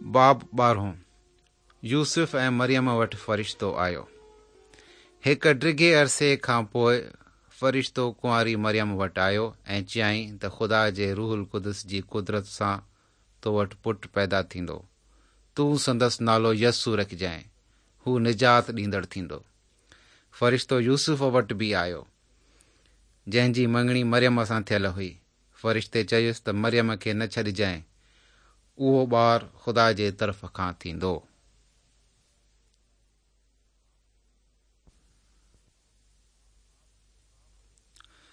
باب ٻارهون، يوسف ۽ مريم وٽ فرشتو آيو. هڪ ڊگهي عرصي کان پوء فرشتو ڪنواري مريم وٽ آيو ۽ چيائين ته خدا جي روح القدس جي قدرت سان تو وٽ پٽ پيدا ٿيندو. تون سندس نالو يسوع رکجانء. هو نجات ڏيندڙ ٿيندو. فرشتو يوسف وٽ به آيو، جنهن جي مڱڻي مريم سان ٿيل هئي. فرشتي چيس ته مريم کي نه ڇڏجانء، اهو ٻار خدا جي طرف کان ٿيندو.